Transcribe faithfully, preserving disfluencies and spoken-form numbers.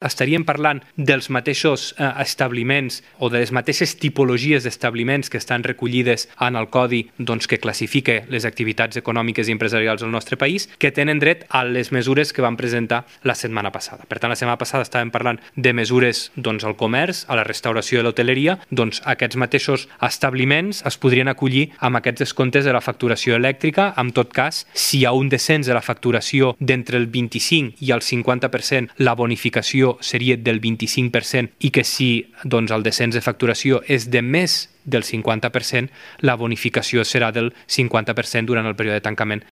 estaríem parlant dels mateixos eh, establiments o de les mateixes tipologies d'establiments que estan recollides en el codi doncs, que classifica les activitats econòmiques i empresarials del nostre país, que tenen dret a les mesures que vam presentar la setmana passada. Per tant, la setmana passada estàvem parlant de mesures doncs, al comerç, a la restauració i l'hoteleria. Doncs aquests mateixos establiments es podrien acollir amb aquests descomptes de la facturació elèctrica. En tot cas, si hi ha un descens de la facturació d'entre el vint-i-cinc i el cinquanta per cent, la bonificació seria del vint-i-cinc per cent i que si doncs, el descens de facturació és de més del cinquanta per cent, la bonificació serà del cinquanta per cent durant el període de tancament.